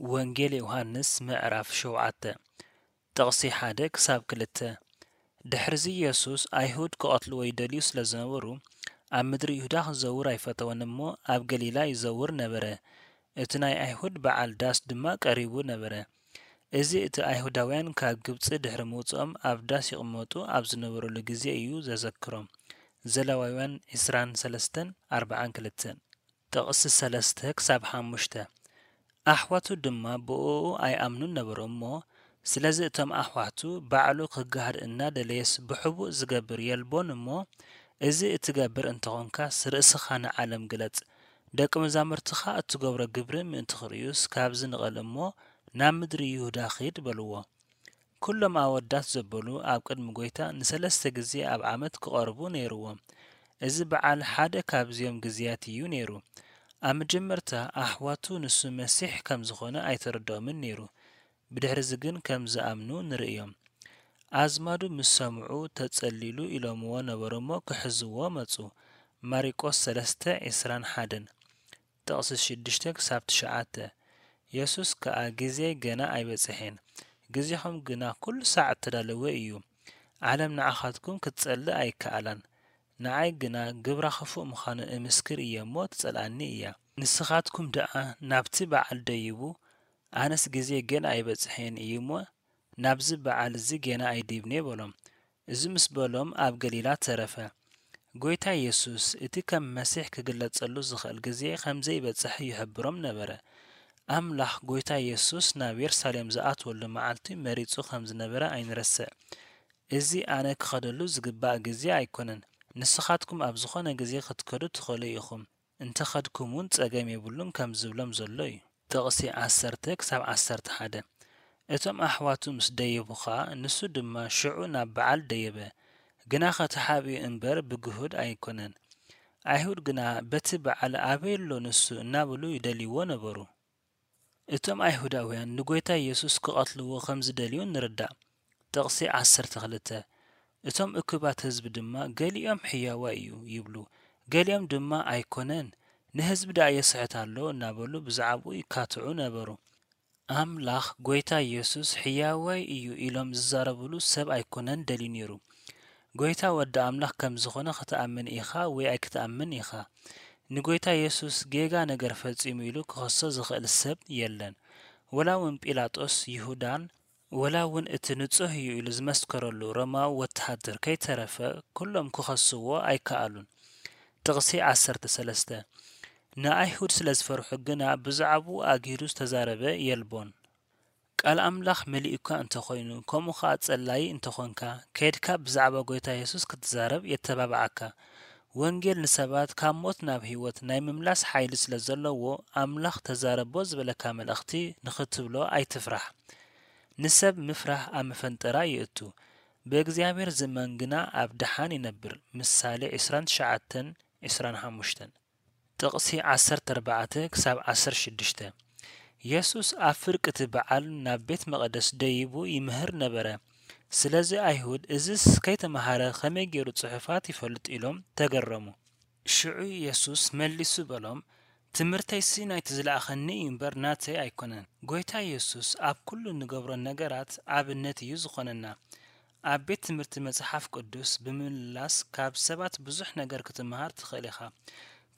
ወንጌል ዮሃንስ ምዕራፍ ሸውዓተ፣ ጥቕሲ ሓደ ክሳብ ክልተ። ድሕርዚ የሱስ ኣይሁድ ክቐትልዎ ይደልዩ ስለ ዝነበሩ፣ ኣብ ምድሪ ይሁዳ ክዘውር ኣይፈተወን እሞ፣ ኣብ ገሊላ ይዘውር ነበረ። እቲ ናይ ኣይሁድ በዓል ዳስ ድማ ቀሪቡ ነበረ። እዚ እቲ ኣይሁዳውያን ካብ ግብጺ ድሕሪ ምውጽኦም ኣብ ዳስ ይቕመጡ ኣብ ዝነበሩሉ ግዜ እዩ ዘዘክሮም። ዘለዋውያን ዕስራን ሰለስተን፣ ኣርባዓን ክልተን። ጥቕሲ ሰለስተ ክሳብ ሓሙሽተ። ኣሕዋቱ ድማ ብእኡ ኣይኣምኑን ነበሩ እሞ፣ ስለዚ እቶም ኣሕዋቱ ባዕሉ ክገሃድ እናደለየስ ብሕቡእ ዝገብር የልቦን እሞ፣ እዚ እትገብር እንተኾንካ ርእስኻ ንዓለም ግለጽ፣ ደቂ መዛሙርትኻ እትገብሮ ግብሪ ምእንቲ ክርእዩስ ካብዚ ንቐል እሞ ናብ ምድሪ ይሁዳ ኺድ በልዎ። ኩሎም ኣወዳት ዘበሉ ኣብ ቅድሚ ጐይታ ንሰለስተ ግዜ ኣብ ዓመት ክቐርቡ ነይርዎም። እዚ በዓል ሓደ ካብዚኦም ግዜያት እዩ ነይሩ። ኣብ መጀመርታ ኣሕዋቱ ንሱ መሲሕ ከም ዝኾነ ኣይተረድኦምን ነይሩ። ብድሕርዚ ግን ከም ዝኣምኑ ንርእዮም። ኣዝማዱ ምስ ሰምዑ ተጸሊሉ ኢሎምዎ ነበሩ እሞ ክሕዝዎ መጹ። ማሪቆስ ሰለስተ ዕስራን ሓደን። ጥቕሲ ሽዱሽተ ክሳብ ትሽዓተ። የሱስ ከኣ ግዜይ ገና ኣይበጽሐን፣ ግዜኹም ግና ኩሉ ሳዕ እተዳለወ እዩ። ዓለም ንዓኻትኩም ክትጸልእ ኣይከኣላን፣ ንዓይ ግና ግብራ ክፉእ ምዃኑ እምስክር እየ እሞ ትጸልኣኒ እያ። ንስኻትኩም ደኣ ናብቲ በዓል ደይቡ፣ ኣነስ ግዜይ ገና ኣይበጽሐን እዩ እሞ ናብዚ በዓል እዚ ጌና ኣይድይብን እየ በሎም። እዚ ምስ በሎም ኣብ ገሊላ ተረፈ። ጐይታ የሱስ እቲ ከም መሲሕ ክግለጸሉ ዝኽእል ግዜ ከም ዘይበጽሐ ይሕብሮም ነበረ። ኣምላኽ ጐይታ የሱስ ናብ የሩሳሌም ዝኣትወሉ መዓልቲ መሪጹ ከም ዝነበረ ኣይንረስዕ። እዚ ኣነ ክኸደሉ ዝግባእ ግዜ ኣይኮነን። ንስኻትኩም ኣብ ዝኾነ ግዜ ክትከዱ ትኽእሉ ኢኹም። እንተ ኸድኩም እውን ጸገም የብሉን ከም ዝብሎም ዘሎ እዩ። ጥቕሲ ዓሰርተ ክሳብ ዓሰርተ ሓደ። እቶም ኣሕዋቱ ምስ ደየቡ ኸኣ፣ ንሱ ድማ ሽዑ ናብ በዓል ደየበ። ግናኸ ተሓቢኡ እምበር ብግሁድ ኣይኮነን። ኣይሁድ ግና፣ በቲ በዓል ኣበይ ኣሎ ንሱ? እናበሉ ይደልይዎ ነበሩ። እቶም ኣይሁዳውያን ንጐይታ የሱስ ክቐትልዎ ከም ዝደልዩ ንርዳእ። ጥቕሲ ዓሰርተ ክልተ። እቶም እኩባት ህዝቢ ድማ፣ ገሊኦም ሕያዋይ እዩ ይብሉ፣ ገሊኦም ድማ ኣይኮነን፣ ንህዝቢ ደኣ የስሕት ኣሎ እናበሉ ብዛዕባኡ ይካትዑ ነበሩ። ኣምላኽ ጐይታ የሱስ ሕያዋይ እዩ ኢሎም ዝዛረብሉ ሰብ ኣይኮነን ደልዩ ነይሩ። ጐይታ ወዲ ኣምላኽ ከም ዝኾነ ክትኣምን ኢኻ ወይ ኣይክትኣምን ኢኻ። ንጐይታ የሱስ ጌጋ ነገር ፈጺሙ ኢሉ ክኸሶ ዝኽእል ሰብ የለን። ወላ እውን ጲላጦስ፣ ይሁዳን፣ ወላ እውን እቲ ንጹህ እዩ ኢሉ ዝመስከረሉ ሮማዊ ወተሃደር ከይተረፈ፣ ኩሎም ክኸስዎ ኣይከኣሉን። ጥቕሲ ዓሰርተ ሰለስተ። ንኣይሁድ ስለ ዝፈርሑ ግና ብዛዕባኡ ኣግሂዱ ዝተዛረበ የልቦን። ቃል ኣምላኽ መሊኡካ እንተኾይኑ፣ ከምኡ ኸኣ ጸላዪ እንተኾንካ፣ ከይድካ ብዛዕባ ጐይታ የሱስ ክትዛረብ የተባብዓካ። ወንጌል ንሰባት ካብ ሞት ናብ ህይወት ናይ ምምላስ ሓይሊ ስለ ዘለዎ፣ ኣምላኽ ተዛረቦ ዝበለካ መልእኽቲ ንኽትብሎ ኣይትፍራሕ። ንሰብ ምፍራህ ኣብ መፈንጠራ የእቱ። ብእግዚኣብሔር ዝእመን ግና ኣብ ደሓን ይነብር። ምሳሌ ዕስራን ትሽዓተን፣ ዕስራን ሓሙሽተን። ጥቕሲ ዓሰርተ ኣርባዕተ ክሳብ ዓሰርተ ሽዱሽተ። የሱስ ኣብ ፍርቂ እቲ በዓል ናብ ቤት መቕደስ ደይቡ ይምህር ነበረ። ስለዚ ኣይሁድ፣ "እዝስ ከይተመሃረ ኸመይ ገይሩ ጽሑፋት ይፈልጥ?" ኢሎም ተገረሙ። ሽዑ የሱስ መሊሱ በሎም፣ "ትምህርተይሲ ናይቲ ዝለኣኸኒ እዩ እምበር ናተይ ኣይኮነን።" ጐይታ የሱስ ኣብ ኩሉ እንገብሮ ነገራት ኣብነት እዩ ዝኾነና። ኣብ ቤት ትምህርቲ መጽሓፍ ቅዱስ ብምምላስ ካብ ሰባት ብዙሕ ነገር ክትመሃር ትኽእል ኢኻ።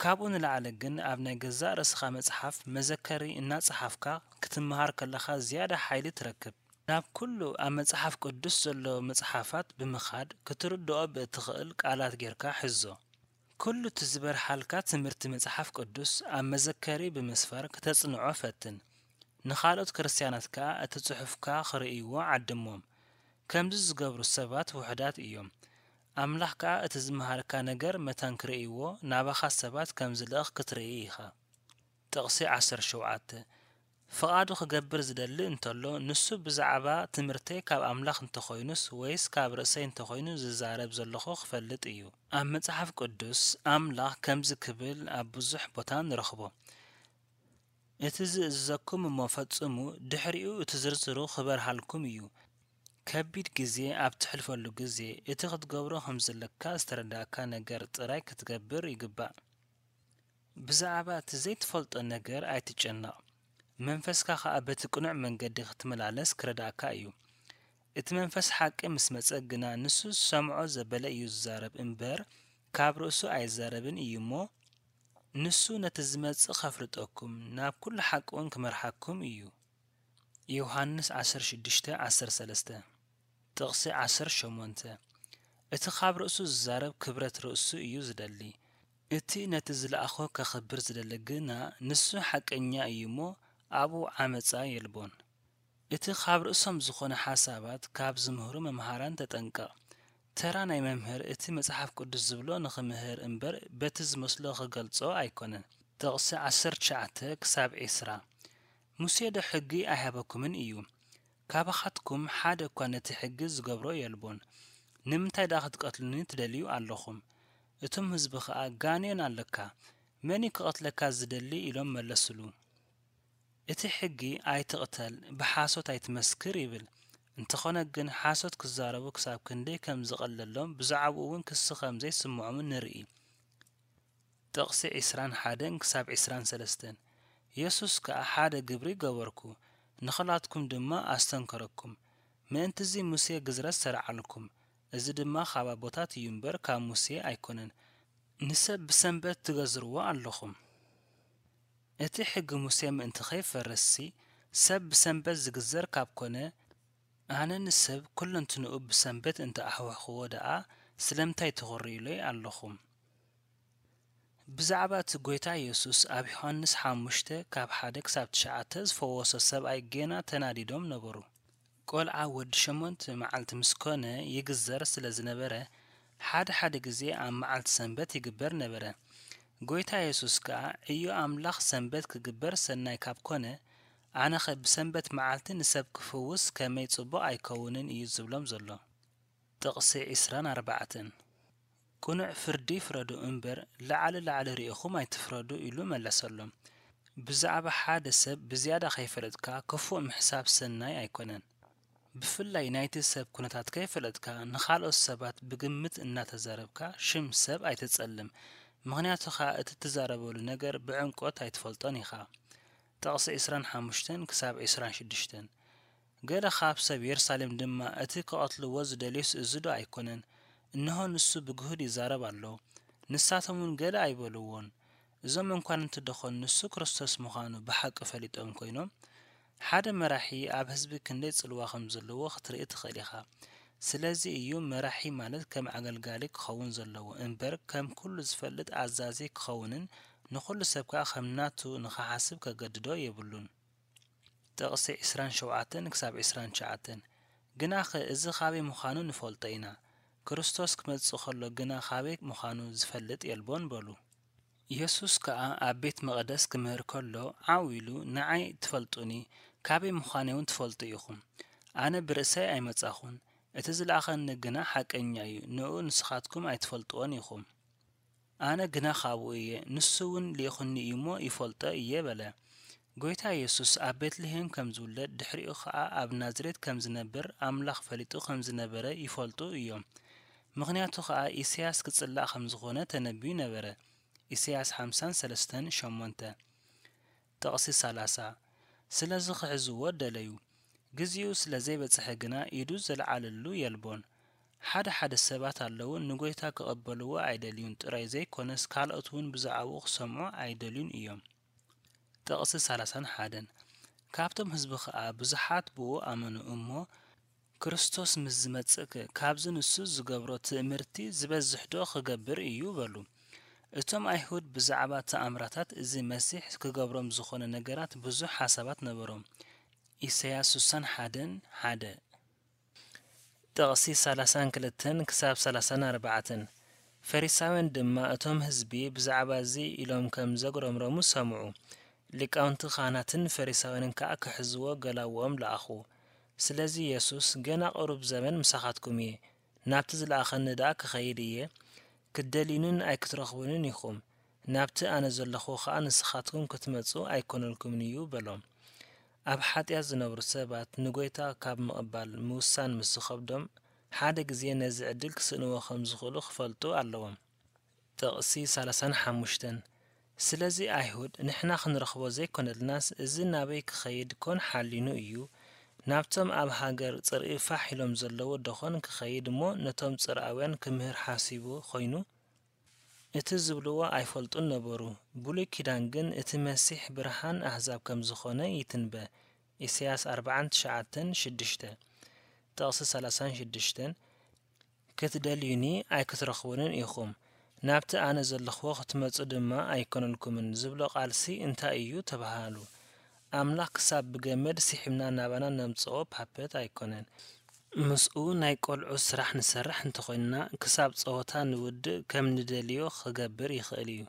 ካብኡ ንላዕሊ ግን ኣብ ናይ ገዛእ ርእስኻ መጽሓፍ መዘከሪ እናጸሓፍካ ክትመሃር ከለኻ ዝያዳ ሓይሊ ትረክብ። ናብ ኩሉ ኣብ መጽሓፍ ቅዱስ ዘሎ መጽሓፋት ብምኻድ ክትርድኦ ብእትኽእል ቃላት ጌርካ ሕዞ። ኩሉ እቲ ዝበርሃልካ ትምህርቲ መጽሓፍ ቅዱስ ኣብ መዘከሪ ብምስፋር ክተጽንዖ ፈትን። ንኻልኦት ክርስትያናት ከኣ እቲ ጽሑፍካ ክርእይዎ ዓድሞም። ከምዚ ዝገብሩ ሰባት ውሑዳት እዮም። ኣምላኽ ከኣ እቲ ዝመሃርካ ነገር መታን ክርእይዎ ናባኻ ሰባት ከም ዝልእኽ ክትርኢ ኢኻ። ጥቕሲ ዓሰርተ ሸውዓተ። ፍቓዱ ክገብር ዝደሊ እንተሎ፣ ንሱ ብዛዕባ ትምህርተይ ካብ ኣምላኽ እንተኾይኑስ ወይስ ካብ ርእሰይ እንተኾይኑ ዝዛረብ ዘለኹ ክፈልጥ እዩ። ኣብ መጽሓፍ ቅዱስ ኣምላኽ ከምዚ ክብል ኣብ ብዙሕ ቦታ ንረኽቦ፣ "እቲ ዝእዝዘኩም እሞ ፈጽሙ፣ ድሕሪኡ እቲ ዝርዝሩ ክበርሃልኩም እዩ። ከቢድ ግዜ ኣብ ትሕልፈሉ ግዜ፣ እቲ ክትገብሮ ከም ዘለካ ዝተረዳእካ ነገር ጥራይ ክትገብር ይግባእ። ብዛዕባ እቲ ዘይትፈልጦ ነገር ኣይትጨነቕ። መንፈስካ ኸኣ በቲ ቅኑዕ መንገዲ ክትመላለስ ክረድኣካ እዩ። እቲ መንፈስ ሓቂ ምስ መጸ ግና፣ ንሱ ዝሰምዖ ዘበለ እዩ ዝዛረብ እምበር፣ ካብ ርእሱ ኣይዛረብን እዩ እሞ፣ ንሱ ነቲ ዝመጽእ ኸፍልጠኩም፣ ናብ ኩሉ ሓቂ እውን ክመርሓኩም እዩ። ዮሃንስ ዓሰርተ ሽዱሽተ ዓሰርተ ሰለስተ፣ ጥቕሲ ዓሰርተ ሸሞንተ፣ እቲ ኻብ ርእሱ ዝዛረብ ክብረት ርእሱ እዩ ዝደሊ። እቲ ነቲ ዝለኣኾ ኬኽብር ዝደሊ ግና፣ ንሱ ሓቀኛ እዩ እሞ፣ ኣብኡ ዓመጻ የልቦን። እቲ ኻብ ርእሶም ዝኾነ ሓሳባት ካብ ዝምህሩ መምሃራን ተጠንቀቕ። ተራ ናይ መምህር፣ እቲ መጽሓፍ ቅዱስ ዝብሎ ንኽምህር እምበር፣ በቲ ዝመስሎ ኽገልጾ ኣይኮነን። ጥቕሲ ዓሰርተ ትሽዓተ ክሳብ ዕስራ፣ ሙሴ ዶ ሕጊ ኣይሃበኩምን እዩ? ካባኻትኩም ሓደ እኳ ነቲ ሕጊ ዝገብሮ የልቦን። ንምንታይ ደኣ ክትቀትሉኒ ትደልዩ ኣለኹም? እቶም ህዝቢ ኸኣ፣ ጋኔን ኣለካ፣ መን እዩ ክቐትለካ ዝደሊ? ኢሎም መለስሉ። እቲ ሕጊ፣ ኣይትቕተል፣ ብሓሶት ኣይትመስክር ይብል። እንተኾነ ግን፣ ሓሶት ክዛረቡ ክሳብ ክንደይ ከም ዝቐለሎም፣ ብዛዕባኡ እውን ክሲ ከም ዘይስምዖምን ንርኢ። ጥቕሲ ዕስራን ሓደን ክሳብ ዕስራን ሰለስተን፣ የሱስ ከኣ፣ ሓደ ግብሪ ገበርኩ፣ ንኸላትኩም ድማ ኣስተንከረኩም። ምእንትዚ ሙሴ ግዝረት ሰርዓልኩም፣ እዚ ድማ ካብ ኣቦታት እዩ እምበር ካብ ሙሴ ኣይኮነን። ንሰብ ብሰንበት ትገዝርዎ ኣለኹም። እቲ ሕጊ ሙሴ ምእንቲ ኸይፈርስሲ፣ ሰብ ብሰንበት ዝግዘር ካብ ኮነ፣ ኣነ ንሰብ ኩለንትንኡ ብሰንበት እንተ ኣሕዋኽዎ ደኣ፣ ስለምንታይ ትኹርዩለይ ኣለኹም? ብዛዕባ እቲ ጐይታ የሱስ ኣብ ዮሃንስ ሓሙሽተ ካብ ሓደ ክሳብ ትሽዓተ ዝፈወሶ ሰብኣይ ጌና ተናዲዶም ነበሩ። ቈልዓ ወዲ ሸሞንተ መዓልቲ ምስ ኮነ ይግዘር ስለ ዝነበረ፣ ሓደ ሓደ ግዜ ኣብ መዓልቲ ሰንበት ይግበር ነበረ። ጐይታ የሱስ ከኣ፣ ዕዮ ኣምላኽ ሰንበት ክግበር ሰናይ ካብ ኮነ፣ ኣነኸ ብሰንበት መዓልቲ ንሰብ ክፍውስ ከመይ ጽቡቕ ኣይከውንን እዩ ዝብሎም ዘሎ። ጥቕሲ ዕስራን ኣርባዕተን፣ ቅኑዕ ፍርዲ ፍረዱ እምበር፣ ላዕሊ ላዕሊ ርኢኹም ኣይትፍረዱ ኢሉ መለሰሎም። ብዛዕባ ሓደ ሰብ ብዝያዳ ኸይፈለጥካ ክፉእ ምሕሳብ ሰናይ ኣይኮነን። ብፍላይ ናይቲ ሰብ ኩነታት ከይፈለጥካ፣ ንኻልኦት ሰባት ብግምት እናተዛረብካ ሽም ሰብ ኣይትጸልም። ምኽንያቱ ኸኣ እቲ እትዛረበሉ ነገር ብዕምቆት ኣይትፈልጦን ኢኻ። ጥቕሲ ዕስራን ሓሙሽተን ክሳብ ዕስራን ሽዱሽተን፣ ገለ ኻብ ሰብ የሩሳሌም ድማ፣ እቲ ክቐትልዎ ዝደልዩስ እዚ ዶ ኣይኮነን? እንሆ፣ ንሱ ብግሁድ ይዛረብ ኣሎ። ንሳቶም እውን ገለ ኣይበልዎን። እዞም መኳንንቲ ደኾን ንሱ ክርስቶስ ምዃኑ ብሓቂ ፈሊጦም ኮይኖም? ሓደ መራሒ ኣብ ህዝቢ ክንደይ ጽልዋ ከም ዘለዎ ክትርኢ ትኽእል ኢኻ። ስለዚ እዩ መራሒ ማለት ከም ኣገልጋሊ ክኸውን ዘለዎ እምበር፣ ከም ኩሉ ዝፈልጥ ኣዛዚ ክኸውንን ንኹሉ ሰብ ከኣ ከም ናቱ ንኽሓስብ ከገድዶ የብሉን። ጥቕሲ ዕስራን ሸውዓተን ክሳብ ዕስራን ትሽዓተን፣ ግናኸ እዚ ኻበይ ምዃኑ ንፈልጦ ኢና፣ ክርስቶስ ክመጽእ ኸሎ ግና ኻበይ ምዃኑ ዝፈልጥ የልቦን በሉ። የሱስ ከኣ ኣብ ቤት መቕደስ ክምህር ከሎ ዓው ኢሉ፣ ንዓይ ትፈልጡኒ፣ ካበይ ምዃነይውን ትፈልጡ ኢኹም። ኣነ ብርእሰይ ኣይመጻኹን፣ እቲ ዝለኣኸኒ ግና ሓቀኛ እዩ፣ ንእኡ ንስኻትኩም ኣይትፈልጥዎን ኢኹም። ኣነ ግና ኻብኡ እየ፣ ንሱ እውን ልኢኹኒ እዩ እሞ ይፈልጦ እየ በለ። ጐይታ የሱስ ኣብ ቤትልሄም ከም ዝውለድ፣ ድሕሪኡ ኸኣ ኣብ ናዝሬት ከም ዝነብር ኣምላኽ ፈሊጡ ከም ዝነበረ ይፈልጡ እዮም። ምኽንያቱ ኸኣ ኢሳያስ ክጽላእ ከም ዝኾነ ተነብዩ ነበረ። ኢሳያስ ሓምሳን ሰለስተን ሸሞንተ። ጥቕሲ ሰላሳ፣ ስለዚ ክሕዝዎ ደለዩ። ግዜኡ ስለ ዘይበጽሐ ግና ኢዱ ዘልዓለሉ የልቦን። ሓደ ሓደ ሰባት ኣለዉ፣ ንጐይታ ክቕበልዎ ኣይደልዩን ጥራይ ዘይኮነስ፣ ካልኦት እውን ብዛዕባኡ ክሰምዑ ኣይደልዩን እዮም። ጥቕሲ ሰላሳን ሓደን፣ ካብቶም ህዝቢ ኸኣ ብዙሓት ብኡ ኣመኑ እሞ፣ ክርስቶስ ምስ ዝመጽእከ፣ ካብዚ ንሱ ዝገብሮ ትእምርቲ ዝበዝሕዶ ክገብር እዩ? በሉ። እቶም ኣይሁድ ብዛዕባ ተኣምራታት እዚ መሲሕ ክገብሮም ዝኾነ ነገራት ብዙሕ ሓሳባት ነበሮም። ኢሳያስ ስሳን ሓደን ሓደ። ጥቕሲ ሰላሳን ክልተን ክሳብ ሰላሳን ኣርባዕተን። ፈሪሳውያን ድማ እቶም ህዝቢ ብዛዕባ እዚ ኢሎም ከም ዘጉረምረሙ ሰምዑ። ሊቃውንቲ ካህናትን ፈሪሳውያንን ከኣ ክሕዝዎ ገላውኦም ለኣኹ። ስለዚ የሱስ፣ ገና ቁሩብ ዘመን ምሳኻትኩም እየ፣ ናብቲ ዝለኣኸኒ ደኣ ክኸይድ እየ፣ ክትደልዩንን ኣይክትረኽቡንን ኢኹም፣ ናብቲ ኣነ ዘለኹ ኸኣ ንስኻትኩም ክትመጹ ኣይኮነልኩምን እዩ በሎም። ኣብ ሓጢኣት ዝነብሩ ሰባት ንጐይታ ካብ ምቕባል ምውሳን ምስ ዝኸብዶም፣ ሓደ ግዜ ነዚ ዕድል ክስእንዎ ከም ዝኽእሉ ክፈልጡ ኣለዎም። ጥቕሲ ሰላሳን ሓሙሽተን። ስለዚ ኣይሁድ፣ ንሕና ክንረኽቦ ዘይኮነልናስ፣ እዚ ናበይ ክኸይድ ኮን ሓሊኑ እዩ? ናብቶም ኣብ ሃገር ጽርኢ ፋሕ ኢሎም ዘለዉ ደኾን ክኸይድ እሞ፣ ነቶም ጽርኣውያን ክምህር ሓሲቡ ኾይኑ? እቲ ዝብልዎ ኣይፈልጡን ነበሩ። ብሉይ ኪዳን ግን እቲ መሲሕ ብርሃን ኣህዛብ ከም ዝኾነ ይትንበ። ኢሳያስ ኣርብዓን ትሽዓተን ሽዱሽተ፣ ጥቕሲ ሰላሳን ሽዱሽተን፣ ክትደልዩኒ ኣይክትረኽቡንን ኢኹም፣ ናብቲ ኣነ ዘለኽዎ ክትመጹ ድማ ኣይኮነልኩምን ዝብሎ ቃልሲ እንታይ እዩ ተባሃሉ። ኣምላኽ ክሳብ ብገመድ ስሒብና ናባና ነምጽኦ ፓፐት ኣይኮነን። ምስኡ ናይ ቆልዑ ስራሕ ንሰርሕ እንተኾይንና፣ ክሳብ ጸወታ ንውድእ ከም ንደልዮ ክገብር ይኽእል እዩ።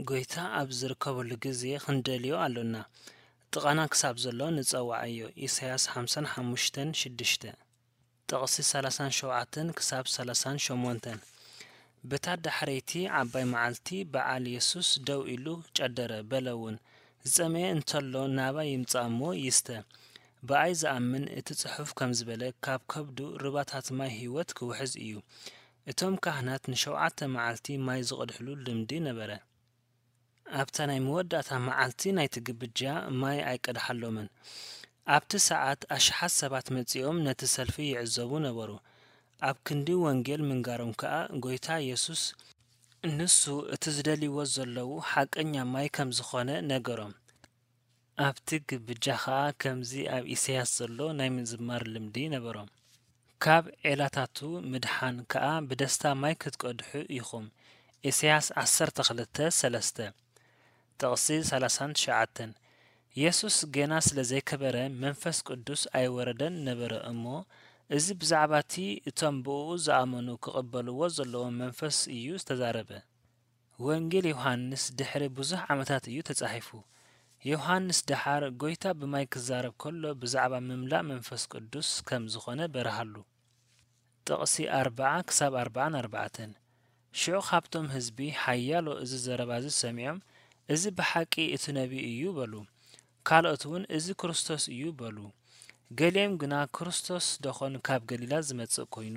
ጎይታ ኣብ ዝርከበሉ ግዜ ክንደልዮ ኣሎና። ጥቓና ክሳብ ዘሎ ንጸውዓዮ። ኢሳያስ ሓምሳን ሓሙሽተን ሽዱሽተ፣ ጥቕሲ ሰላሳን ሸውዓተን ክሳብ ሰላሳን ሸሞንተን። በታ ዳሕረይቲ ዓባይ መዓልቲ በዓል የሱስ ደው ኢሉ ጨደረ፣ በለ እውን፣ ዝጸመየ እንተሎ ናባይ ይምጻእ እሞ ይስተ። ብኣይ ዝኣምን፣ እቲ ጽሑፍ ከም ዝበለ፣ ካብ ከብዱ ሩባታት ማይ ህይወት ክውሕዝ እዩ። እቶም ካህናት ንሸውዓተ መዓልቲ ማይ ዝቐድሕሉ ልምዲ ነበረ። ኣብታ ናይ መወዳእታ መዓልቲ ናይቲ ግብጃ ማይ ኣይቀድሓሎምን። ኣብቲ ሰዓት ኣሽሓት ሰባት መጺኦም ነቲ ሰልፊ ይዕዘቡ ነበሩ። ኣብ ክንዲ ወንጌል ምንጋሮም ከኣ፣ ጎይታ የሱስ ንሱ እቲ ዝደልይዎ ዘለዉ ሓቀኛ ማይ ከም ዝኾነ ነገሮም። ኣብቲ ግብጃ ኸኣ ከምዚ ኣብ ኢሳያስ ዘሎ ናይ ምዝማር ልምዲ ነበሮም። ካብ ዔላታቱ ምድሓን ከኣ ብደስታ ማይ ክትቀድሑ ኢኹም። ኢሳያስ ዓሰርተ ክልተ ሰለስተ፣ ጥቕሲ ሰላሳን ትሽዓተን። የሱስ ጌና ስለ ዘይከበረ መንፈስ ቅዱስ ኣይወረደን ነበረ እሞ፣ እዚ ብዛዕባ እቲ እቶም ብእኡ ዝኣመኑ ክቕበልዎ ዘለዎም መንፈስ እዩ ዝተዛረበ። ወንጌል ዮሃንስ ድሕሪ ብዙሕ ዓመታት እዩ ተጻሒፉ። ዮሃንስ ደሓር ጐይታ ብማይ ክዛረብ ከሎ ብዛዕባ ምምላእ መንፈስ ቅዱስ ከም ዝኾነ በርሃሉ። ጥቕሲ ኣርብዓ ክሳብ ኣርብዓን ኣርባዕተን። ሽዑ ካብቶም ህዝቢ ሓያሎ እዚ ዘረባ እዚ ሰሚዖም፣ "እዚ ብሓቂ እቲ ነቢይ እዩ" በሉ። ካልኦት እውን፣ "እዚ ክርስቶስ እዩ" በሉ። ገሊኦም ግና፣ "ክርስቶስ ደኾን ካብ ገሊላ ዝመጽእ ኮይኑ?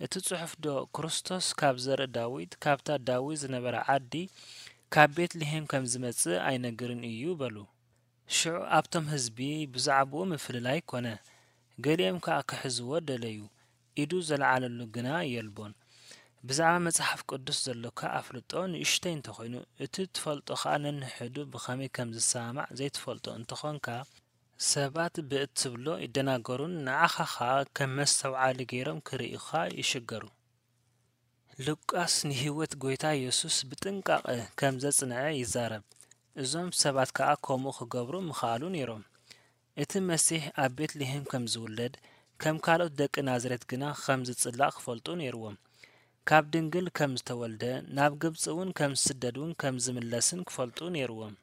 እቲ ጽሑፍ ዶ፣ 'ክርስቶስ ካብ ዘርኢ ዳዊት፣ ካብታ ዳዊት ዝነበራ ዓዲ፣ ካብ ቤት-ልሄም ከም ዝመጽእ ኣይነግርን እዩ?" በሉ። ሽዑ ኣብቶም ህዝቢ ብዛዕባኡ ምፍልላይ ኮነ። ገሊኦም ከኣ ክሕዝዎ ደለዩ። ኢዱ ዘልዓለሉ ግና የልቦን። ብዛዕባ መጽሓፍ ቅዱስ ዘሎካ ኣፍልጦ ንእሽተይ እንተኾይኑ፣ እቲ ትፈልጦ ኸኣ ነንሕዱ ብኸመይ ከም ዝሰማማዕ ዘይትፈልጦ እንተኾንካ፣ ሰባት ብእትብሎ ይደናገሩን ንዓኻ ኸኣ ከም መስተውዓሊ ገይሮም ክርእዩኻ ይሽገሩ። ሉቃስ ንህይወት ጐይታ የሱስ ብጥንቃቐ ከም ዘጽንዐ ይዛረብ። እዞም ሰባት ከኣ ከምኡ ክገብሩ ምኸኣሉ ነይሮም። እቲ መሲሕ ኣብ ቤት-ልሄም ከም ዝውለድ፣ ከም ካልኦት ደቂ ናዝሬት ግና ከም ዝጽላእ ክፈልጡ ነይርዎም። ካብ ድንግል ከም ዝተወልደ፣ ናብ ግብጺ እውን ከም ዝስደድ እውን ከም ዝምለስን ክፈልጡ ነይርዎም።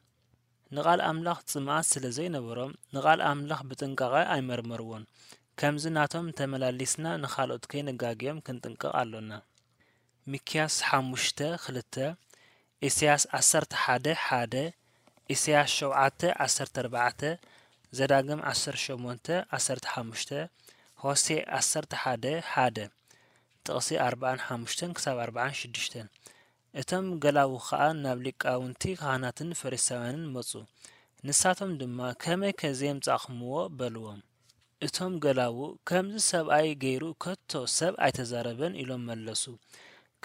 ንቓል ኣምላኽ ጽምኣት ስለ ዘይነበሮም፣ ንቓል ኣምላኽ ብጥንቃቐ ኣይመርመርዎን። ከምዚ ናቶም ተመላሊስና ንኻልኦት ከይነጋግዮም ክንጥንቀቕ ኣሎና። ሚክያስ ሓሙሽተ ክልተ፣ ኢሳያስ ዓሰርተ ሓደ ሓደ፣ ኢሳያስ ሸውዓተ ዓሰርተ ኣርባዕተ፣ ዘዳግም ዓሰርተ ሸሞንተ ዓሰርተ ሓሙሽተ፣ ሆሴዕ ዓሰርተ ሓደ ሓደ፣ ጥቕሲ ኣርብዓን ሓሙሽተን ክሳብ ኣርብዓን ሽዱሽተን። እቶም ገላዉ ኸኣ ናብ ሊቃውንቲ ካህናትን ፈሪሳውያንን መጹ። ንሳቶም ድማ፣ "ከመይከ ዘየምጻእኩምዎ?" በልዎም። እቶም ገላዉ፣ "ከምዚ ሰብኣይ ገይሩ ከቶ ሰብ ኣይተዛረበን" ኢሎም መለሱ።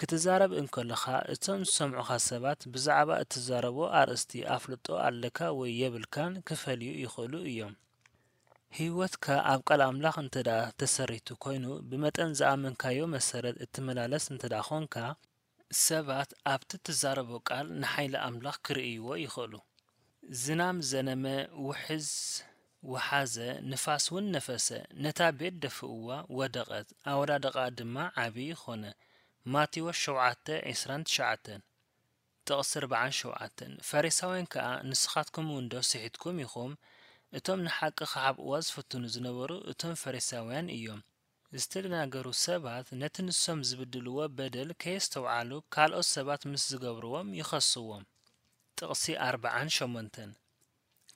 ክትዛረብ እንከለኻ፣ እቶም ዝሰምዑኻ ሰባት ብዛዕባ እትዛረቦ ኣርእስቲ ኣፍልጦ ኣለካ ወይ የብልካን ክፈልዩ ይኽእሉ እዮም። ህይወትካ ኣብ ቃል ኣምላኽ እንተ ደኣ ተሰሪቱ ኮይኑ፣ ብመጠን ዝኣመንካዮ መሰረት እትመላለስ እንተ ደኣ ኾንካ፣ ሰባት ኣብቲ እትዛረቦ ቃል ንሓይሊ ኣምላኽ ክርእይዎ ይኽእሉ። ዝናም ዘነመ፣ ውሕዝ ወሓዘ፣ ንፋስ እውን ነፈሰ፣ ነታ ቤት ደፍእዋ፣ ወደቐት፣ ኣወዳድቓኣ ድማ ዓቢ ኾነ። ማቴዎስ ሸውዓተ ዕስራን ትሽዓተን፣ ጥቕሲ ኣርብዓን ሸውዓተን። ፈሪሳውያን ከኣ፣ "ንስኻትኩም እውን ዶ ስሒትኩም ኢኹም?" እቶም ንሓቂ ክሓብእዋ ዝፍትኑ ዝነበሩ እቶም ፈሪሳውያን እዮም። ዝተደናገሩ ሰባት ነቲ ንሶም ዝብድልዎ በደል ከየስተውዓሉ ካልኦት ሰባት ምስ ዝገብርዎም ይኸስዎም። ጥቕሲ ኣርብዓን ሸሞንተን።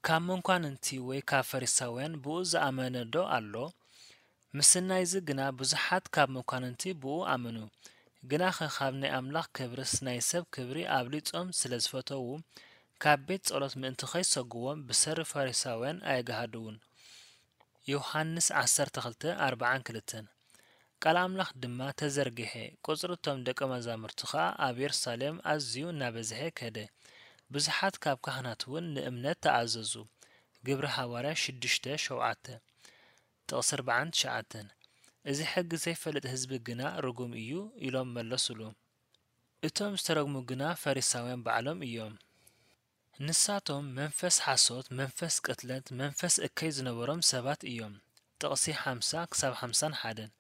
ካብ መኳንንቲ ወይ ካብ ፈሪሳውያን ብኡ ዝኣመነ ዶ ኣሎ? ምስናይዚ ግና ብዙሓት ካብ መኳንንቲ ብኡ ኣመኑ። ግናኸ ካብ ናይ ኣምላኽ ክብርስ ናይ ሰብ ክብሪ ኣብሊጾም ስለ ዝፈተዉ፣ ካብ ቤት ጸሎት ምእንቲ ኸይሰጉዎም ብሰሪ ፈሪሳውያን ኣየግሃድዉን። ዮሃንስ ዓሰርተ ክልተ ኣርብዓን ክልተን። ቃል ኣምላኽ ድማ ተዘርግሐ፣ ቁጽሪ እቶም ደቀ መዛሙርቲ ኸኣ ኣብ የሩሳሌም ኣዝዩ እናበዝሐ ከደ። ብዙሓት ካብ ካህናት እውን ንእምነት ተኣዘዙ። ግብሪ ሃዋርያ ሽዱሽተ ሸውዓተ። ጥቕሲ ኣርባዓን ትሽዓተን። እዚ ሕጊ ዘይፈልጥ ህዝቢ ግና ርጉም እዩ ኢሎም መለሱሉ። እቶም ዝተረግሙ ግና ፈሪሳውያን ባዕሎም እዮም። ንሳቶም መንፈስ ሓሶት፣ መንፈስ ቅትለት፣ መንፈስ እከይ ዝነበሮም ሰባት እዮም። ጥቕሲ ሓምሳ ክሳብ ሓምሳን ሓደን።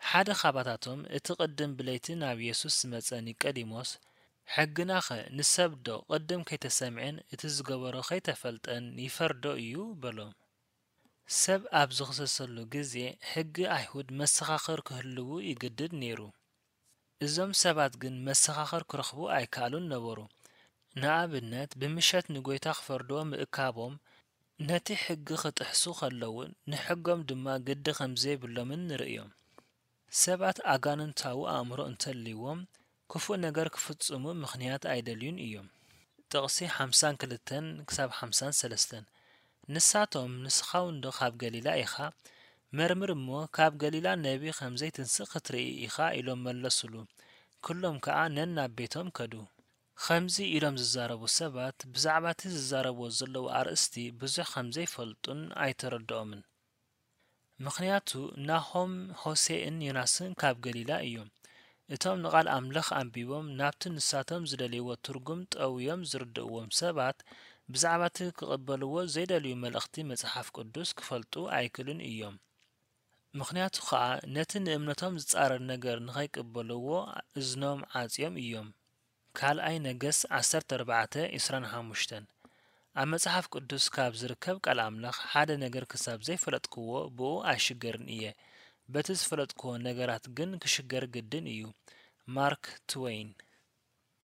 ሓደ ኻባታቶም እቲ ቅድም ብለይቲ ናብ የሱስ ዝመጸ ኒቀዲሞስ፣ ሕግናኸ ንሰብዶ ቅድም ከይተሰምዐን እቲ ዝገበሮ ከይተፈልጠን ይፈርዶ እዩ? በሎም። ሰብ ኣብ ዝኽሰሰሉ ግዜ ሕጊ ኣይሁድ መሰኻኽር ክህልዉ ይግድድ ነይሩ። እዞም ሰባት ግን መሰኻኽር ክረኽቡ ኣይከኣሉን ነበሩ። ንኣብነት፣ ብምሸት ንጎይታ ክፈርድዎ ምእካቦም፣ ነቲ ሕጊ ክጥሕሱ ከለዉ ንሕጎም ድማ ግዲ ከም ዘይብሎምን ንርእዮም። ሰባት ኣጋንንታዊ ኣእምሮ እንተልይዎም፣ ክፉእ ነገር ክፍጽሙ ምኽንያት ኣይደልዩን እዮም። ጥቕሲ ሓምሳን ክልተን ክሳብ ሓምሳን ሰለስተን። ንሳቶም፣ "ንስኻ እውን ዶ ካብ ገሊላ ኢኻ? መርምር እሞ፣ ካብ ገሊላ ነቢ ከም ዘይትንስእ ክትርኢ ኢኻ" ኢሎም መለሱሉ። ኩሎም ከኣ ነናብ ቤቶም ከዱ። ከምዚ ኢሎም ዝዛረቡ ሰባት፣ ብዛዕባ እቲ ዝዛረብዎ ዘለዉ ኣርእስቲ ብዙሕ ከም ዘይፈልጡን ኣይተረድኦምን። ምኽንያቱ፣ ናሆም፣ ሆሴእን ዮናስን ካብ ገሊላ እዮም። እቶም ንቓል ኣምላኽ ኣንቢቦም ናብቲ ንሳቶም ዝደልይዎ ትርጉም ጠውዮም ዝርድእዎም ሰባት፣ ብዛዕባ እቲ ክቕበልዎ ዘይደልዩ መልእኽቲ መጽሓፍ ቅዱስ ክፈልጡ ኣይክእሉን እዮም። ምኽንያቱ ኸኣ፣ ነቲ ንእምነቶም ዝጻረር ነገር ንኸይቅበልዎ እዝኖም ዓጽዮም እዮም። ካልኣይ ነገስት ዓሰርተ ኣርባዕተ፣ ዕስራን ሓሙሽተን። ኣብ መጽሓፍ ቅዱስ ካብ ዝርከብ ቃል ኣምላኽ፣ ሓደ ነገር ክሳብ ዘይፈለጥክዎ፣ ብኡ ኣይሽገርን እየ። በቲ ዝፈለጥክዎ ነገራት ግን ክሽገር ግድን እዩ። ማርክ ትወይን።